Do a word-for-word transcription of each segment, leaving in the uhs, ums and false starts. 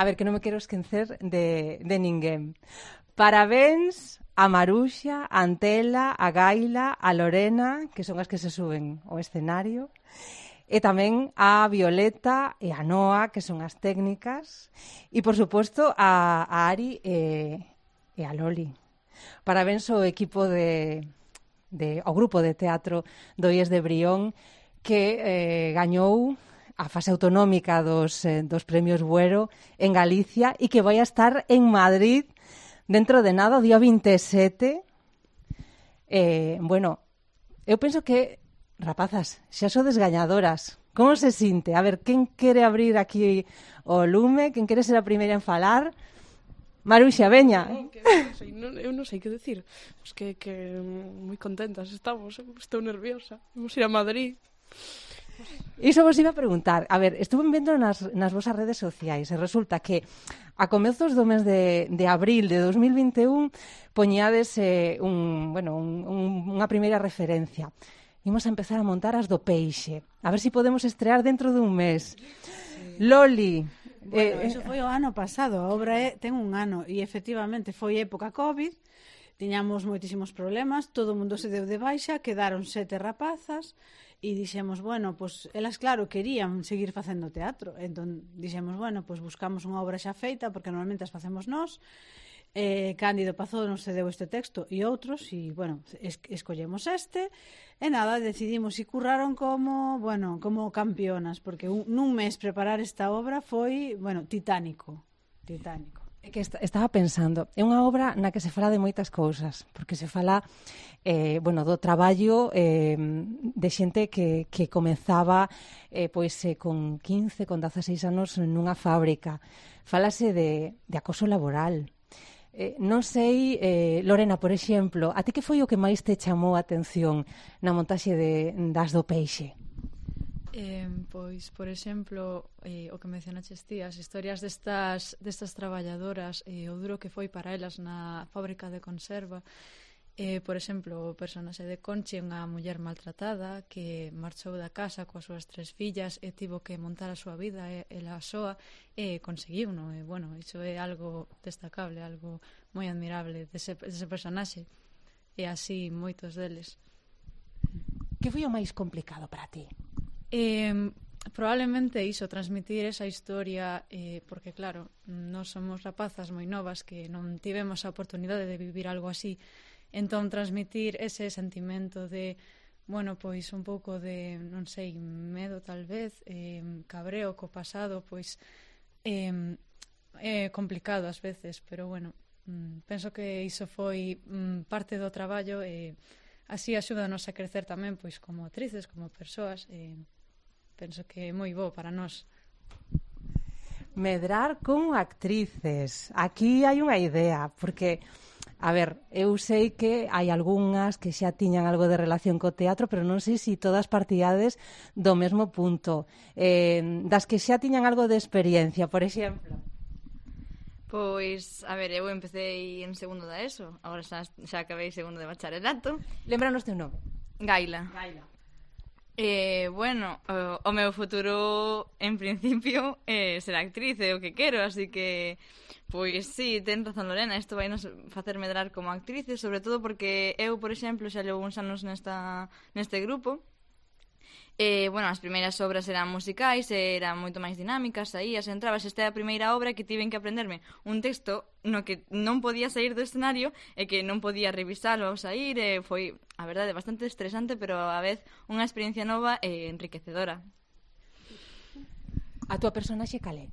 A ver, que non me quero esquecer de, de ninguén. Parabéns a Maruxa, a Antela, a Gaila, a Lorena, que son as que se suben ao escenario, e tamén a Violeta e a Noa, que son as técnicas, e, por suposto, a, a Ari e, e a Loli. Parabéns ao equipo de, de ao grupo de teatro do I E S de Brión, que eh, gañou a fase autonómica dos, eh, dos premios Buero en Galicia e que vai a estar en Madrid dentro de nada, o día vinte e sete. Eh, bueno, eu penso que, rapazas, xa sodes gañadoras. Como se sinte? A ver, quen quere abrir aquí o lume? Quen quere ser a primeira en falar? Maruxa, veña. No, que non sei, non, eu non sei que decir. Pues que, que moi contentas estamos, estou nerviosa. Vamos ir a Madrid. Iso vos iba a preguntar. A ver, estuve vendo nas, nas vosas redes sociais e resulta que a comezos do mes de, de abril de dos mil vinte e un poñades eh, un, bueno, un, un, unha primeira referencia. Imos a empezar a montar as do peixe. A ver se si podemos estrear dentro dun mes. Sí. Loli. Bueno, eh, eso foi o ano pasado. A obra é, ten un ano e efectivamente foi época COVID. Tiñamos moitísimos problemas. Todo o mundo se deu de baixa. Quedaron sete rapazas. E dixemos, bueno, pues elas claro querían seguir facendo teatro, entón dixemos, bueno, pues buscamos unha obra xa feita, porque normalmente as facemos nós. eh, Cándido Pazó nos cedeu este texto e outros, e bueno, es, escollemos este, e nada, decidimos e curraron como, bueno, como campeonas, porque un, nun mes preparar esta obra foi, bueno, titánico, titánico. É que est- estaba pensando, é unha obra na que se fala de moitas cousas, porque se fala eh, bueno, do traballo eh, de xente que, que comezaba eh, pois, eh, con quince, con dezaseis anos nunha fábrica. Fálase de, de acoso laboral. Eh, non sei, eh, Lorena, por exemplo, a ti que foi o que máis te chamou a atención na montaxe de, das do peixe? Eh, pois, por exemplo, eh, o que mencionaches ti, as historias destas, destas traballadoras, eh, o duro que foi para elas na fábrica de conserva. Eh, por exemplo, o personaxe de Conchi, unha muller maltratada que marchou da casa coas súas tres fillas e tivo que montar a súa vida e, e la soa e conseguiu, non? E, bueno, iso é algo destacable, algo moi admirable dese, dese personaxe, e así moitos deles. Que foi o máis complicado para ti? Eh, probablemente iso, transmitir esa historia, eh, porque claro, nós somos rapazas moi novas que non tivemos a oportunidade de vivir algo así, entón transmitir ese sentimento de, bueno, pois un pouco de, non sei, medo tal vez, eh, cabreo co pasado, pois eh, é complicado ás veces, pero bueno, mm, penso que iso foi mm, parte do traballo e así axúdanos a crecer tamén, pois como actrices, como persoas, e eh, penso que é moi bo para nós. Medrar como actrices. Aquí hai unha idea, porque, a ver, eu sei que hai algunhas que xa tiñan algo de relación co teatro, pero non sei se si todas partidades do mesmo punto. Eh, das que xa tiñan algo de experiencia, por exemplo. Pois, a ver, eu empecé en segundo da ESO, agora xa, xa acabei segundo de bacharelato. Lembranos teu nome. Gaila. Gaila. Eh, bueno, o, o meu futuro en principio é eh, ser actriz, é o que quero, así que pois sí, ten razón Lorena, isto vai nos facer medrar como actrices, sobre todo porque eu, por exemplo, xa levo uns anos nesta, neste grupo. Eh, bueno, as primeiras obras eran musicais, eran moito máis dinámicas, saías, entrabas, esta é a primeira obra que tiven que aprenderme un texto no que non podía sair do escenario e que non podía revisalo ao sair, e foi, a verdade, bastante estresante, pero a vez unha experiencia nova e enriquecedora. A túa personaxe calé?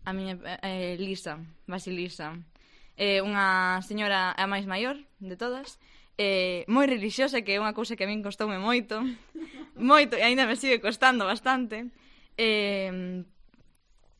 A miña, eh, Lisa, Basilisa, é eh, unha señora a máis maior de todas, eh, moi relixiosa, que é unha cousa que a min costoume moito, moito, e aínda me sigue costando bastante. Eh,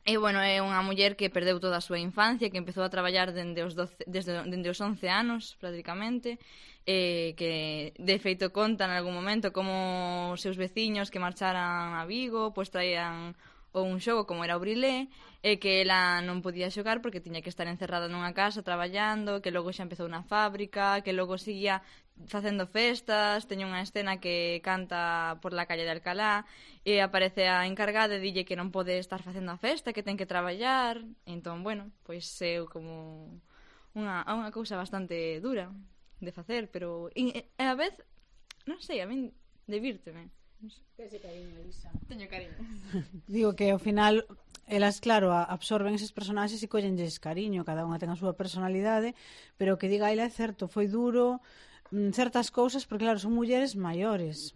e, bueno, é unha muller que perdeu toda a súa infancia, que empezou a traballar dende os, doce, desde, dende os once anos, prácticamente, eh, que, de feito, conta en algún momento como os seus veciños que marcharan a Vigo, pois traían ou un xogo como era o Brilé, e que ela non podía xogar porque tiña que estar encerrada nunha casa traballando, que logo xa empezou na fábrica, que logo seguía facendo festas, teña unha escena que canta por la calle de Alcalá e aparece a encargada e dille que non pode estar facendo a festa, que ten que traballar. Entón, bueno, pois é como unha, unha cousa bastante dura de facer, pero e, e a vez, non sei, a min divírteme. Ese cariño, Elisa. Teño cariño. Digo que ao final elas, claro, absorben eses personaxes e collenlles cariño, cada unha ten a súa personalidade, pero o que diga ela é certo, foi duro certas cousas, porque claro, son mulleres maiores,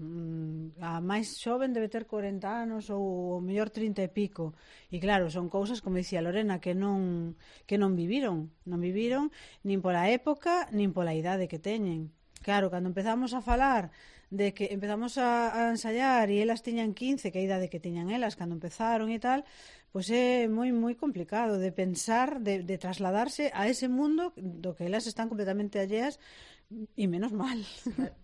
a máis xoven debe ter corenta anos ou o mellor trinta e pico, e claro, son cousas, como dicía Lorena, que non que non viviron, non viviron nin pola época, nin pola idade que teñen. Claro, cando empezamos a falar de que empezamos a, a ensayar e elas tiñan quince, que é a idade que tiñan elas cando empezaron e tal, pois é moi moi complicado de pensar, de, de trasladarse a ese mundo do que elas están completamente alleas, e menos mal.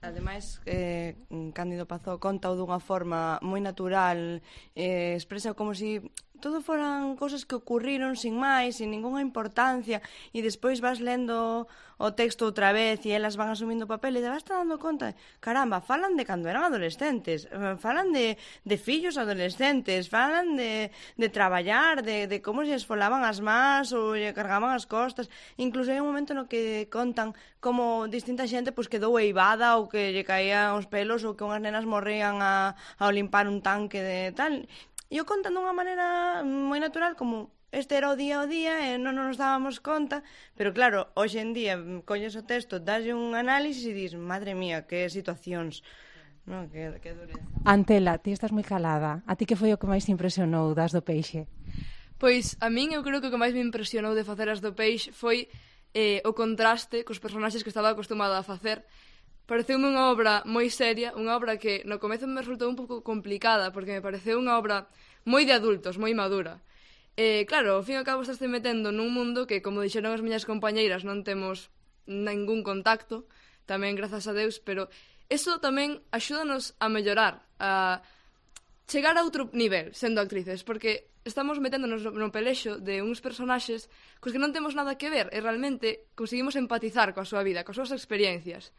Ademais, eh, Cándido Pazó conta dunha forma moi natural, eh, expresa como si todo foran cousas que ocurriron sin máis, sin ninguna importancia, e despois vas lendo o texto outra vez e elas van asumindo o papel e te vas dando conta, caramba, falan de cando eran adolescentes, falan de, de fillos adolescentes, falan de, de traballar, de, de como se esfolaban as más ou lle cargaban as costas. Incluso hai un momento no que contan como distinta xente pois quedou eivada ou que lle caían os pelos ou que unhas nenas morrían a, a limpar un tanque de tal. E o contan dunha maneira moi natural, como este era o día ao día e non nos dábamos conta, pero claro, hoxe en día colles o texto, daslle un análisis e dis, madre mía, que situacións, no, que, que dureza. Antela, ti estás moi calada. A ti que foi o que máis te impresionou das do Peixe? Pois a min eu creo que o que máis me impresionou de facer as do Peixe foi eh, o contraste cos personaxes que estaba acostumada a facer. Pareceume unha obra moi seria, unha obra que no comezo me resultou un pouco complicada, porque me pareceu unha obra moi de adultos, moi madura. Eh, claro, ao fin e ao cabo estás te metendo nun mundo que, como dixeron as miñas compañeiras, non temos ningún contacto, tamén grazas a Deus, pero eso tamén axúdanos a mellorar, a chegar a outro nivel sendo actrices, porque estamos meténdonos no pelexo de uns personaxes cos que non temos nada que ver e realmente conseguimos empatizar coa súa vida, coas súas experiencias.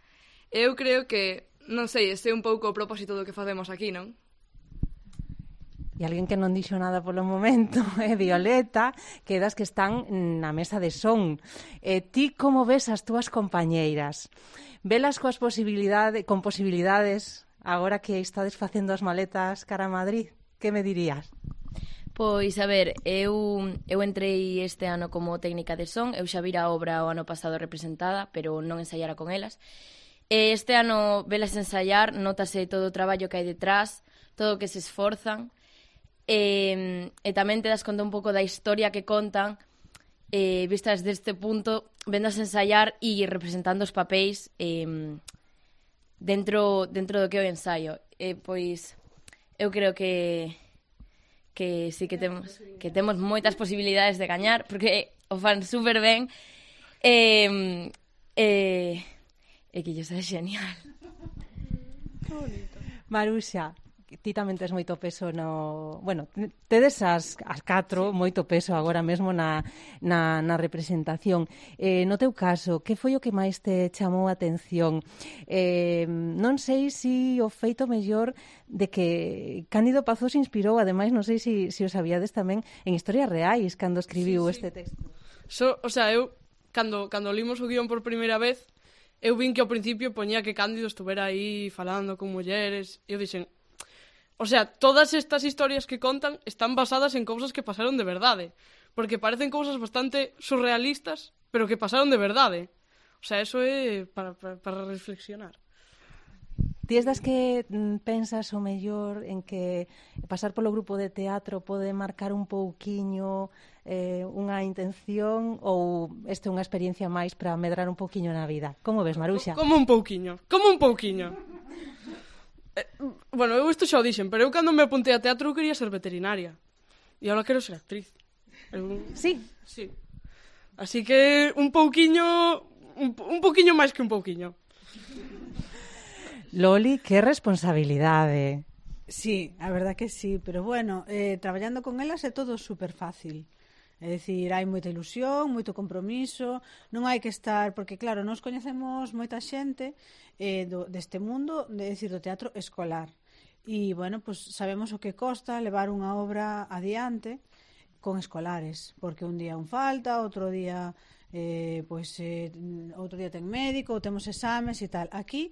Eu creo que, non sei, este é un pouco o propósito do que facemos aquí, non? E alguén que non dixo nada polo momento é Violeta, que das que están na mesa de son. E ti como ves as túas compañeiras? Velas coas posibilidades, con posibilidades agora que estades facendo as maletas cara a Madrid? Que me dirías? Pois, a ver, eu, eu entrei este ano como técnica de son, eu xa vira a obra o ano pasado representada, pero non ensaiara con elas. E este ano velas ensaiar, notase todo o traballo que hai detrás, todo o que se esforzan, e, e tamén te das conta un pouco da historia que contan, e, vistas deste punto, vendas ensaiar e representando os papéis e, dentro, dentro do que é o ensaio. E, pois, eu creo que que sí que temos que temos moitas posibilidades de gañar, porque o fan super ben, e... e E que iso é genial. Que bonito. Maruxa, ti tamén tes moito peso no... Bueno, tedes as, as catro moito peso agora mesmo na, na, na representación. Eh, no teu caso, que foi o que máis te chamou a atención? Eh, non sei se si o feito mellor de que Cándido Pazó se inspirou, ademais non sei se si, si o sabíades tamén, en historias reais cando escribiu sí, sí. este texto. So, o sea, eu, cando, cando limos o guión por primeira vez, eu vin que ao principio poñía que Cándido estuvera aí falando con mulleres, e eu dixen, o sea, todas estas historias que contan están basadas en cousas que pasaron de verdade, porque parecen cousas bastante surrealistas, pero que pasaron de verdade. O sea, eso é para, para, para reflexionar. Ti es das que pensas o mellor en que pasar polo grupo de teatro pode marcar un pouquiño eh, unha intención, ou este é unha experiencia máis para medrar un pouquiño na vida? Como ves, Maruxa? Como un pouquiño, como un pouquiño. Eh, bueno, eu isto xa o dixen, pero eu cando me apuntei a teatro eu quería ser veterinaria. E agora quero ser actriz. Eu... Sí? Sí. Así que un pouquiño, un, un pouquiño máis que un pouquiño. Loli, que responsabilidade. Sí, a verdad que sí, pero bueno, eh, traballando con elas é todo super fácil. É dicir, hai moita ilusión, moito compromiso, non hai que estar, porque claro, nós coñecemos moita xente eh, do, deste mundo, de decir, do teatro escolar. E, bueno, pues sabemos o que costa levar unha obra adiante con escolares, porque un día un falta, outro día eh, pues, eh, outro día ten médico, ou temos exames e tal. Aquí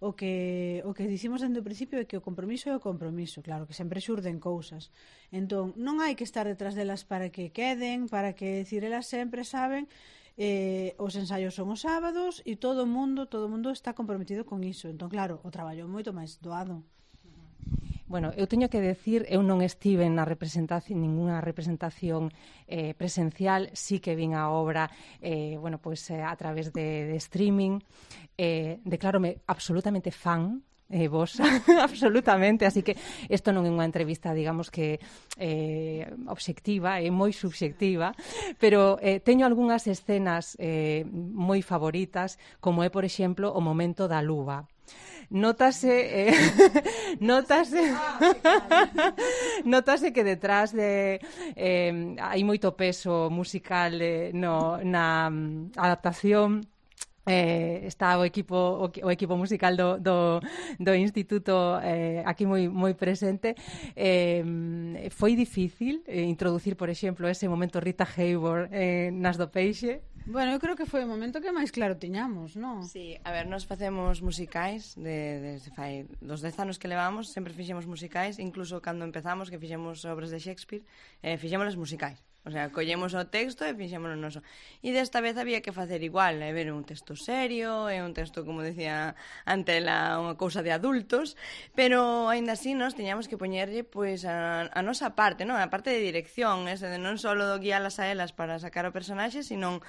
o que o que dicimos dende o principio é que o compromiso é o compromiso, claro, que sempre xurden cousas. Entón, non hai que estar detrás delas para que queden, para que decir, elas sempre saben eh, os ensaios son os sábados e todo o mundo, todo o mundo está comprometido con iso. Entón, claro, o traballo é moito máis doado. Bueno, eu teño que decir, eu non estive na representación, ninguna representación eh, presencial, sí que vin a obra eh, bueno, pues, eh, a través de, de streaming, eh, declárome absolutamente fan eh, vos, absolutamente, así que isto non é unha entrevista, digamos que eh, obxectiva, é moi subxectiva, pero eh, teño algunhas escenas eh, moi favoritas, como é, por exemplo, o momento da luva. Nótase eh, nótase nótase que detrás de eh, hai moito peso musical eh, no, na um, adaptación. Eh, está o equipo o, o equipo musical do, do, do instituto eh, aquí moi moi presente. Eh, foi difícil eh, introducir, por exemplo, ese momento Rita Hayworth eh, nas do Peixe. Bueno, eu creo que foi o momento que máis claro tiñamos, non? Sí, a ver, nós facemos musicais de, desde fai dos dez anos que levamos, sempre fixemos musicais, incluso cando empezamos que fixemos obras de Shakespeare, eh, fixémolas musicais. O sea, collemos o texto e fixémolo noso. E desta vez había que facer igual, é ver un texto serio, é un texto, como decía Antela, unha cousa de adultos, pero aínda así nós teñamos que poñerlle pois a, a nosa parte, non? A parte de dirección, ese de non só do guialas a elas para sacar o personaxe, sino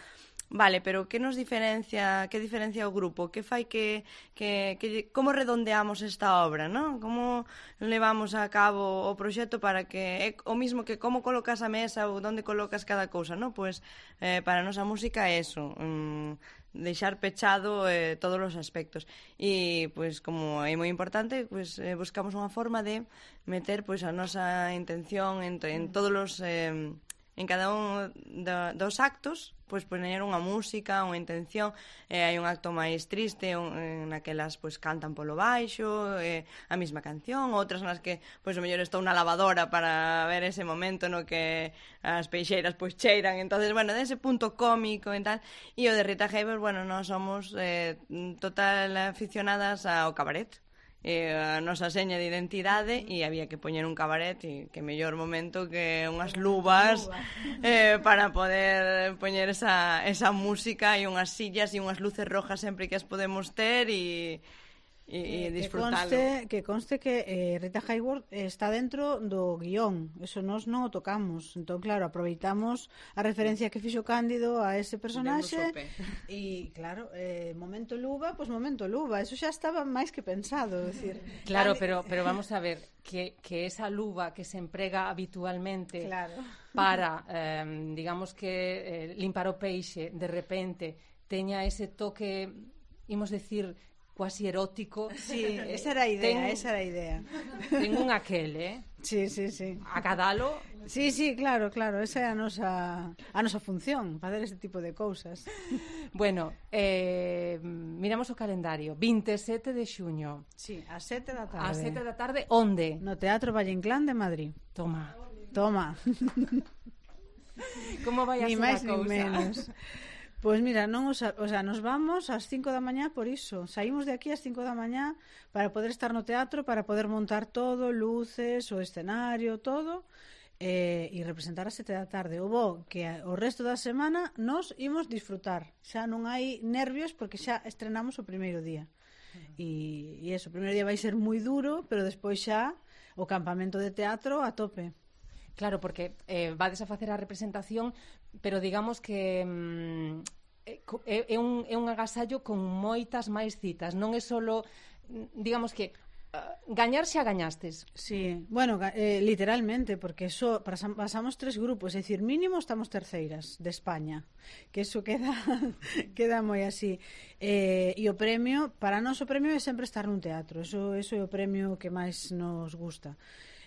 vale, pero que nos diferencia, que diferencia o grupo? Que fai que, que, que como redondeamos esta obra, non? Como levamos a cabo o proxecto para que é o mismo que como colocas a mesa ou onde colocas cada cousa, non? Pois eh, para a nosa música é eso, um, deixar pechado eh, todos os aspectos. E pois como é moi importante, pois eh, buscamos unha forma de meter pois a nosa intención en, en todos os eh, en cada un do, dos actos, pois poñer unha música, unha intención, eh, hai un acto máis triste, un, en naquelas pois cantan polo baixo, eh, a mesma canción, outras nas que pois o mellor estou na lavadora para ver ese momento no que as peixeiras pois cheiran, entonces, bueno, dese punto cómico e tal, e o de Rita Hayworth, bueno, nós somos eh, total aficionadas ao cabaret, eh, a nosa seña de identidade, e había que poñer un cabaret, e que mellor momento que unhas luvas eh, para poder poñer esa, esa música e unhas sillas e unhas luces rojas sempre que as podemos ter e e, e disfrutalo. Que conste que, conste que eh, Rita Hayworth está dentro do guión, eso nós non o tocamos, entón claro, aproveitamos a referencia que fixo Cándido a ese personaxe e claro, eh, momento luva, pois pues momento luva, eso xa estaba máis que pensado, decir. Claro, pero pero vamos a ver que que esa luva que se emprega habitualmente, claro, para eh, digamos que eh, limpar o peixe, de repente teña ese toque, imos decir, cuasi erótico. Sí, esa era a idea, ten, esa era a idea. Ten un aquel, eh? Sí, sí, sí. Acadalo. Sí, sí, claro, claro, esa é a nosa a nosa función, facer ese tipo de cousas. Bueno, eh, miramos o calendario, vinte e sete de xuño. Sí, ás sete da tarde. Ás sete da tarde, onde? No Teatro Valle Inclán de Madrid. Toma. Toma. Como vai a ni ser máis, a cousa? Ni menos. Pois mira, non os, o sea, nos vamos ás cinco da mañá por iso. Saímos de aquí ás cinco da mañá para poder estar no teatro, para poder montar todo, luces, o escenario, todo, eh, e representar ás sete da tarde. O bo que o resto da semana nos imos disfrutar. Xa non hai nervios porque xa estrenamos o primeiro día. E, e eso, o primeiro día vai ser moi duro, pero despois xa o campamento de teatro a tope. Claro, porque eh, vades a facer a representación, pero digamos que mm, é, é, un, é un agasallo con moitas máis citas. Non é solo, digamos que gañar xa gañastes. Sí, bueno, eh, literalmente, porque eso pasamos tres grupos, é dicir, mínimo estamos terceiras de España, que eso queda queda moi así. Eh, e o premio, para nós o premio é sempre estar nun teatro, eso, eso é o premio que máis nos gusta.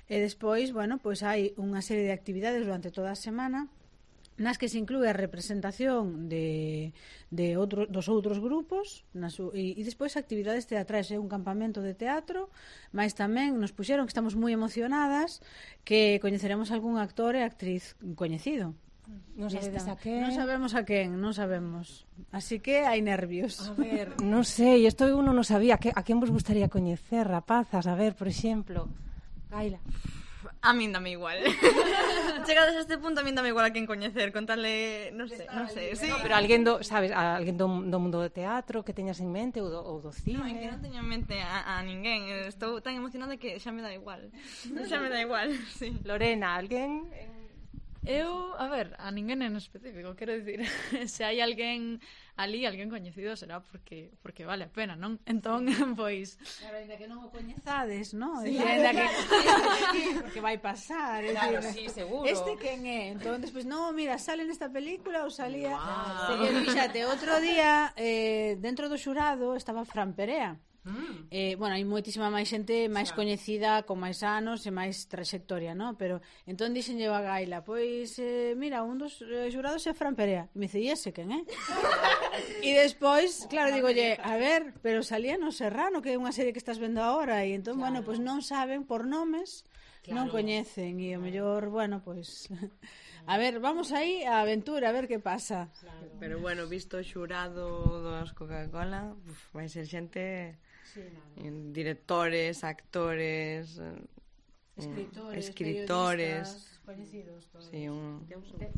E despois, bueno, pois hai unha serie de actividades durante toda a semana nas que se inclúe a representación de, de outro, dos outros grupos na su, e, e despois actividades teatrais, é un campamento de teatro, mas tamén nos puxeron que estamos moi emocionadas que coñeceremos algún actor e actriz coñecido. Non sabedes a quen? Non sabemos a quen, non sabemos. Así que hai nervios. A ver, non sei, isto uno non sabía. A quen vos gustaría coñecer, rapazas? A ver, por exemplo, Gaila. A min dame igual. Chegados a este punto, a min dame igual a quen coñecer, contarle, non sei, non sei, sí. No, pero alguén do, sabes, alguén do, do mundo do teatro que teñas en mente ou do, ou do cine. Non, é que non teño en mente a, a ninguén. Estou tan emocionada que xa me dá igual. Xa me dá igual, sí. Lorena, alguén? Eu, a ver, a ninguén en específico, quero dicir, se hai alguén ali, alguén coñecido será porque porque vale a pena, non? Entón, pois... Claro, ainda que non o coñezades, non? Sí, ainda que... porque vai pasar. Claro, decir, sí, seguro. Este quen é? Entón, despois, non, mira, sale nesta película ou salía... Wow. Wow. Fíxate, outro día, eh, dentro do xurado, estaba Fran Perea. Mm. Eh, bueno, hai moitísima máis xente máis claro. coñecida, con máis anos e máis trayectoria, ¿no? Pero entón dixenlle a Gaila, pois eh, mira, un dos eh, xurados é Fran Perea. E me dice, e ese quen é? E despois, claro, digolle, a ver, pero salía no Serrano, que é unha serie que estás vendo agora, e entón, claro. bueno, pois non saben por nomes, claro. non coñecen, e o mellor, bueno, pois... A ver, vamos aí a aventura, a ver que pasa. Claro. Pero bueno, visto o xurado dos Coca-Cola, uf, vai ser xente... Sí, no. Directores, actores, escritores, escritores coñecidos todos. Sí, un...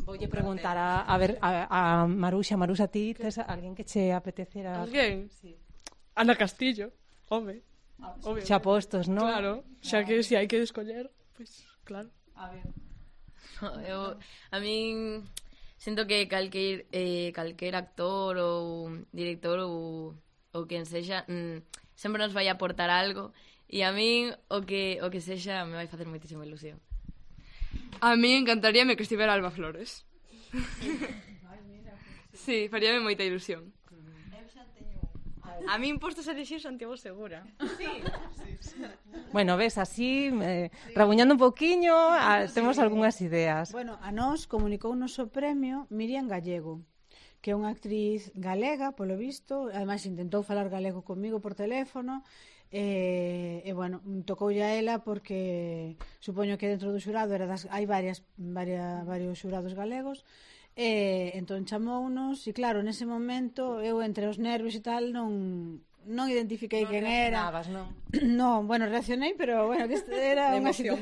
Voulle preguntar a, a ver a, a Maruxa, Maruxa, ti tes alguén que che apetecera? Alguén? Sí. Ana Castillo, home. Obvio. Xa postos, non? Claro, xa que se si hai que escoller, pois pues, claro. A ver. Eu, a min sinto que calquer eh, calquer actor ou director ou ou quen sexa mm, sempre nos vai aportar algo e a min o que o que sexa me vai facer moitísima ilusión. A mí encantaríame que estivera Alba Flores. Sí, faríame moita ilusión. A min postos a elixir Santiago Segura. Sí. Bueno, ves, así eh, rabuñando un pouquiño, a, temos algunhas ideas. Bueno, a nós comunicou o noso premio Miriam Gallego, que é unha actriz galega, polo visto, ademais intentou falar galego comigo por teléfono, e, e bueno, tocoulle a ela porque supoño que dentro do xurado era das, hai varias, varias, varios xurados galegos, e entón chamounos, e claro, nese momento eu entre os nervios e tal non... non identifiquei non quen era. Non? No, bueno, reaccionei, pero bueno, que era unha emoción.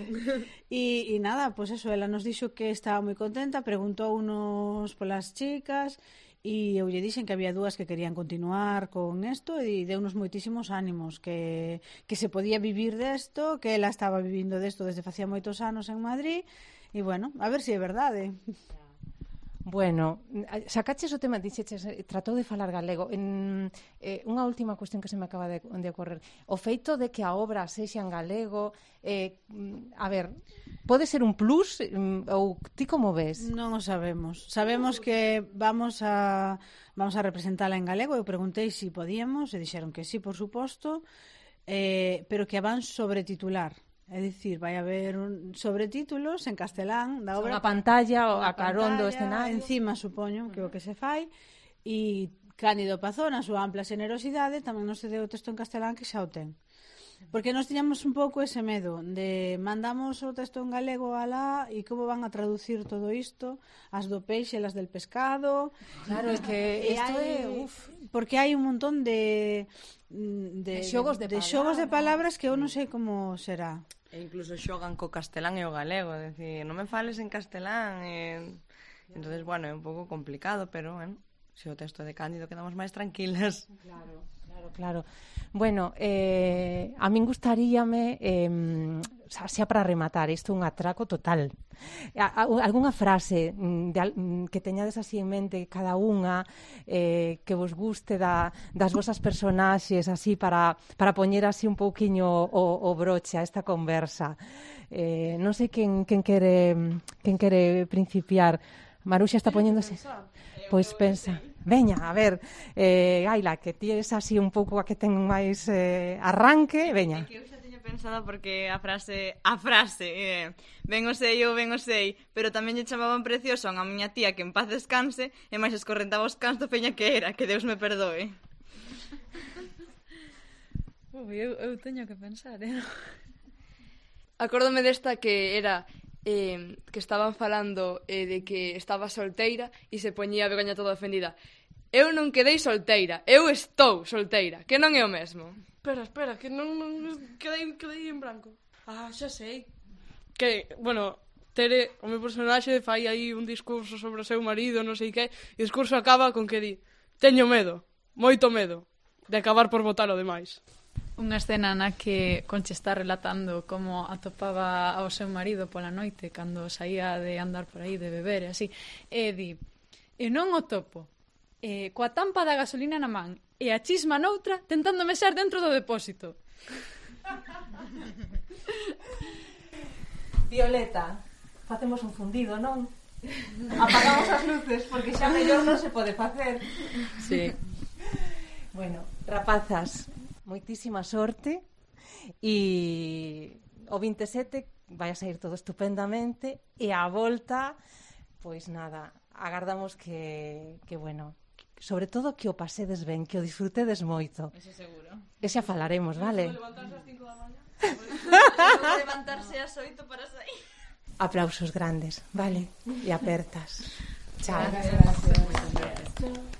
E, e nada, pois pues eso, ela nos dixo que estaba moi contenta, preguntounos polas chicas, e eu lle dixen que había dúas que querían continuar con isto e deunos moitísimos ánimos, que, que se podía vivir desto, que ela estaba vivindo desto desde facía moitos anos en Madrid, e bueno, a ver se é verdade. Bueno, sacaches o tema, dixeches, tratou de falar galego. En, eh, unha última cuestión que se me acaba de, de ocorrer. O feito de que a obra sexa en galego, eh, a ver, pode ser un plus ou ti como ves? Non o sabemos. Sabemos que vamos a vamos a representala en galego. Eu preguntei se si podíamos e dixeron que sí, por suposto, eh, pero que a van sobretitular. É dicir, vai haber un sobretítulos en castelán da obra. Unha pantalla a carón do escenario. Encima, supoño, que o que se fai. E Cándido Pazón, a súa ampla xenerosidade, tamén nos cedeu o texto en castelán que xa o ten. Porque nós tiñamos un pouco ese medo de mandamos o texto en galego alá e como van a traducir todo isto, as do peixe e as del pescado. Claro, é que isto é, uf, porque hai un montón de de, de xogos de, de, de xogos de palabras que eu non sei como será. E incluso xogan co castelán e o galego, é dicir, non me fales en castelán e... entonces, bueno, é un pouco complicado, pero, bueno, se o texto de Cándido quedamos máis tranquilas. Claro, claro. Claro, claro. Bueno, eh, a min gustaríame, eh, xa para rematar, isto é un atraco total. A, a, algunha frase de, que teñades así en mente cada unha, eh, que vos guste da, das vosas personaxes, así para, para poñer así un pouquiño o, o broche a esta conversa. Eh, non sei quen, quen, quere, quen quere principiar. Maruxa está poñéndose... Pois pensa, veña, a ver, eh, Gaila, que ti eres así un pouco a que ten máis eh, arranque, veña. É que eu xa teño pensada porque a frase, a frase, eh, ben o sei, eu ben o sei, pero tamén lle chamaban precioso a miña tía que en paz descanse e máis escorrentaba os cans do peña que era, que Deus me perdoe. Ui, eu, eu teño que pensar, eh? Acórdome desta que era... Eh, que estaban falando eh, de que estaba solteira e se poñía a vergoña toda ofendida. Eu non quedei solteira, eu estou solteira, que non é o mesmo. Espera, espera, que non, non quedei, quedei en branco. Ah, xa sei. Que, bueno, Tere, o meu personaxe fai aí un discurso sobre o seu marido, non sei que, e o discurso acaba con que di: teño medo, moito medo, de acabar por botar o demais. Unha escena na que Conchi está relatando como atopaba ao seu marido pola noite cando saía de andar por aí, de beber e así, e di: e non o topo, e coa tampa da gasolina na man e a chisma noutra tentando mexer dentro do depósito. Violeta, facemos un fundido, non? Apagamos as luces porque xa mellor non se pode facer. Sí. Bueno, rapazas, moitísima sorte e o vinte e sete vai a sair todo estupendamente e a volta, pois nada, agardamos que, que bueno, sobre todo que o pasedes ben, que o disfrutedes moito. Eso seguro. E xa falaremos, vale? Levantarse ás cinco da mañá. Levantarse ás oito para sair. Aplausos grandes, vale? E apertas. Chao. Gracias.